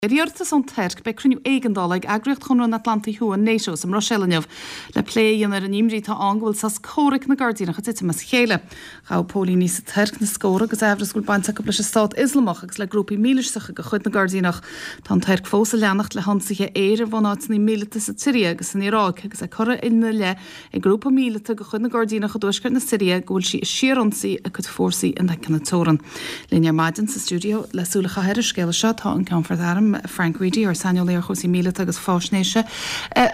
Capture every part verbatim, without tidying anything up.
Ar iarratas ón Tuirc, beidh cruinniú éigeandála ag Eagraíocht Chonradh na hAtlantaí Thuaidh, NATO, sa mBruiséil inniu le plé a dhéanamh ar an imní atá ann go bhfuil sos comhraic na gCoirdíneach ag titim as a chéile. Ghabh póilíní sa Tuirc na scórtha agus amhras go bhfuil baint acu leis an Stát Ioslamach agus le grúpaí mílisteacha de chuid na gCoirdíneach. Tá an Tuirc fós ag leanacht le hionsaithe aeir ar bhunáiteanna míleata sa tSiria agus san Iaráic agus é curtha ina leith ag grúpa míleata de chuid na gCoirdíneach i dtuaisceart na Siria go bhfuil sí ag síorionsaí a cuid fórsaí in aice na teorann. Linn ar maidin sa stiúideo le súil a chaitheamh ar an scéal seo tá an Ceannfort Airm Frank Reidy, ár saineolaí ar chúrsaí míleata agus faisnéise.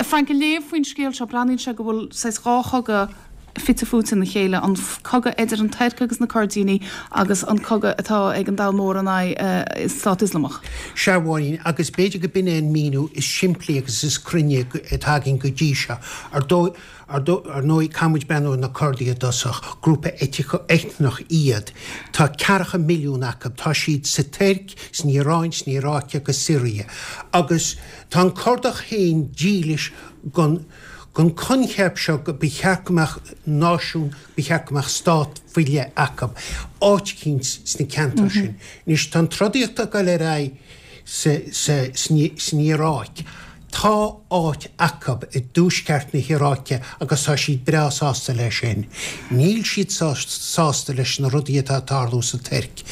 Frank, ag léamh faoin scéal seo, breathnaíonn sé go bhfuil saghas dhá chogadh fite fuaite ina chéile, an cogadh idir an Tuirc agus na Coirdínigh agus an cogadh atá ag an domhan mór in aghaidh Stát Ioslamach. Sea, a Mháirín, agus b'fhéidir go b'in é an míniú is simplí agus is cruinne atá againn go dtí seo. Ar dóigh, Ar ndóigh, caithfidh muid breathnú ar na Curdaigh i dtosach, grúpa eitneach iad. Tá ceathracha milliún acu. Tá siad sa Tuirc, san Iaráin, san Iaráic agus Siria. Agus tá an Curdach féin dílis don don coincheap seo go ba cheart go mbeadh náisiún, ba cheart go mbeadh stát faoi leith acu, áit eicínt sna ceantair sin. Anois, tá an trodaíocht ag dul ar aghaidh sa sa san Iaráic. Tá áit acu i dtuaisceart na hIaráice agus tá siad breá sásta leis sin. Níl siad sásta leis na rudaí atá ag tarlú sa Tuirc.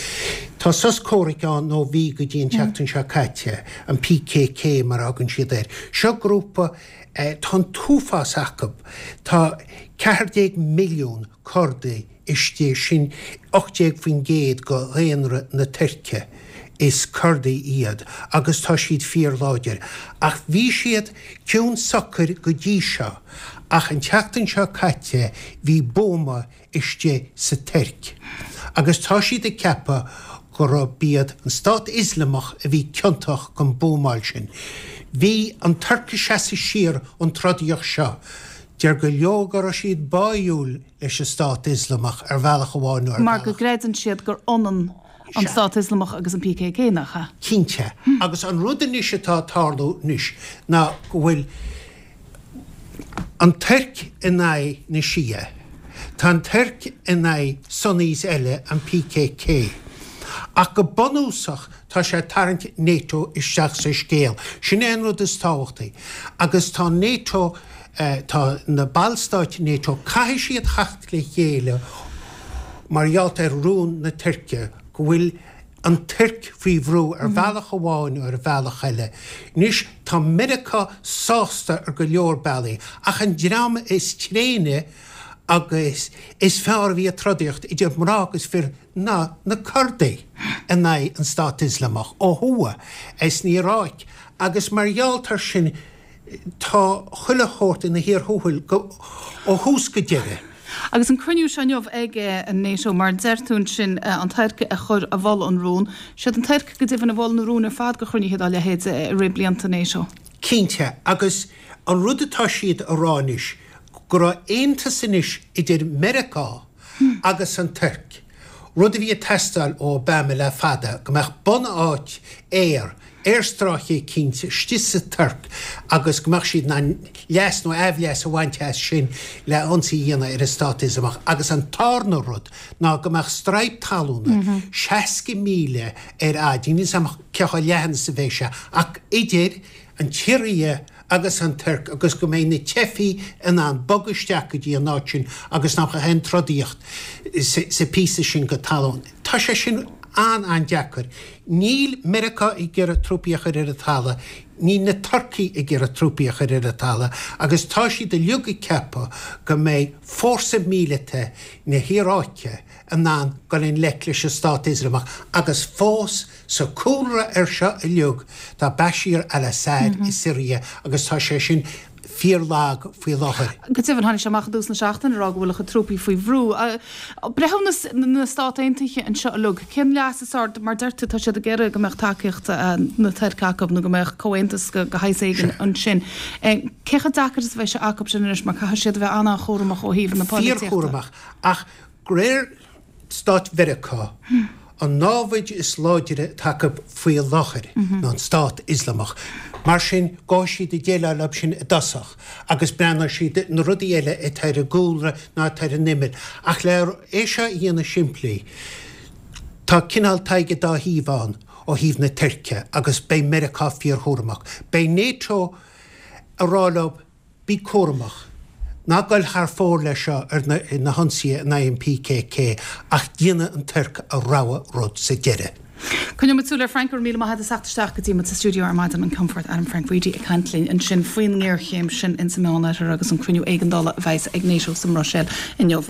Tá sos comhraic ann, nó bhí go dtí an tseachtain seo caite, an PKK mar a thugann siad air. Seo grúpa, tá an t-uafás acu. Tá ceathair déag milliún Curdaigh istigh, sin ocht déag faoin gcéad de dhaonra na Tuirce. Is Curdaigh iad agus tá siad fíorláidir. Ach bhí siad ciúin socair go dtí seo. Ach an tseachtain seo caite bhí buama istigh sa Tuirc. Agus tá siad ag ceapadh gurb iad an Stát Ioslamach a bhí ciontach gon buamáil sin. Bhí an Tuirc ag seasamh siar ón trodaíocht seo. Deir go leor go raibh siad báúil leis an Stát Ioslamach ar bhealach amháin nó ar Mar go bhealach. gcreideann siad gur ionann an Sea. Stát Ioslamach agus an PKK, nach ea? Cinnte. Agus an rud anois atá ag tarlú anois ná go bhfuil an Tuirc in aghaidh na Shia. Tá an Tuirc in aghaidh Sunnis eile, an PKK. Ach go bunúsach tá sé ag tarraingt NATO isteach sa scéal. Sin é an rud is tábhachtaí. Agus tá NATO, tá na ballstáit NATO, caithfidh siad theacht le chéile mar gheall ar rún na Tuirce, go bhfuil an Tuirc faoi bhrú ar bhealach amháin nó ar bhealach eile. Anois, tá Meiriceá sásta ar go leor bealaí, ach an dream is tréine agus is fearr a bhí ag trodaíocht, idir mná agus fir, ná na Curdaigh in aghaidh an Stát Ioslamach ó thuaidh, san Iaráic, agus mar gheall air sin, Tá chuile shórt ina chíor thuathail ó thús go deireadh. Agus an cruinniú seo inniu ag an NATO, mar a deir tú ansin, an Tuirc a chuir a mhol an rún. Siad an Tuirc go deimhin a mhol na rúin ar fad do chruinnithe dá leithéid i rith blianta NATO. Cinnte, agus an rud atá siad a rá anois, go raibh aontas anois idir Meiriceá agus an Tuirc, rud a bhí ag teastáil ó Obama le fada, go mbeadh bunáit aeir, aerstráice eicínt istigh sa Tuirc agus go mbeadh siad in ann leas nó aimhleas a bhaint as sin le ionsaí a dhéanamh ar an Stát Ioslamach. Agus an tarna rud ná go mbeadh straidhp talúna seasca míle ar fhad, níl 'fhios a'm cé chomh leathan is a bheidh sé, ach idir an tSiria agus an Tuirc agus go mbeidh na teifigh in ann bogadh isteach go dtí an áit sin agus nach mbeadh aon trodaíocht sa phíosa sin go talún. Tá sé sin an-an-deacair. Níl Meiriceá ag iarraidh trúpaí a chur ar an talamh, níl na Turcaigh ag iarraidh trúpaí a chur ar an talamh agus tá siad uilig ag ceapadh go mbeidh fórsa míleata na hIaráice in ann dul i ngleic leis an Stát Ioslamach agus fós sa cúlra ar seo uilig tá Bashar al-Assad i Siria agus tá sé sin fíor-lag faoi láthair. Go deimhin, tháinig sé amach i dtús na seachtaine ag rá go bhfuil a chuid trúpaí faoi bhrú. Breithiúnas na Stát Aontaithe anseo uilig, cén leas is ard, mar deir tú, tá siad ag iarraidh go mbeadh tacaíocht na Tuirce acu nó go mbeadh comhaontas de shaghas éigin ansin. Cé chomh deacair is a bheidh sé acu sin anois mar caithfidh siad a bheith an-an-chúramach ó thaobh na polaitíochta. Fíorchúramach. Ach de réir Stáit Mheiriceá, an námhaid is láidre atá acu faoi láthair ná an Stát Ioslamach. Mar sin, gabhfaidh siad ag déileáil leo sin i dtosach agus breathnóidh siad na rudaí eile atá ar an gcúlra ná atá ar an imeall. Ach le é seo a dhéanamh simplí, tá cineál tadhg an dá thaobh ann. ó thaobh na Tuirce agus beidh Meiriceá fíorchúramach. Beidh NATO ag rá leo bí cúramach. Ná gabh thar fóir leis seo ar na, na hionsaithe in aghaidh an PKK ach déanfaidh an Tuirc a rogha rud sa deireadh. Coinneoidh muid súil air Frank go raibh míle maith agat as teacht isteach go dtí muid sa stiúideo ar maidin an Ceannfort Adam Frank Reidy ag caint linn ansin faoin ngéarchéim sin insa Meánoirthear agus an cruinniú éigeandála a bheas ag NATO sa mBruiséil inniu.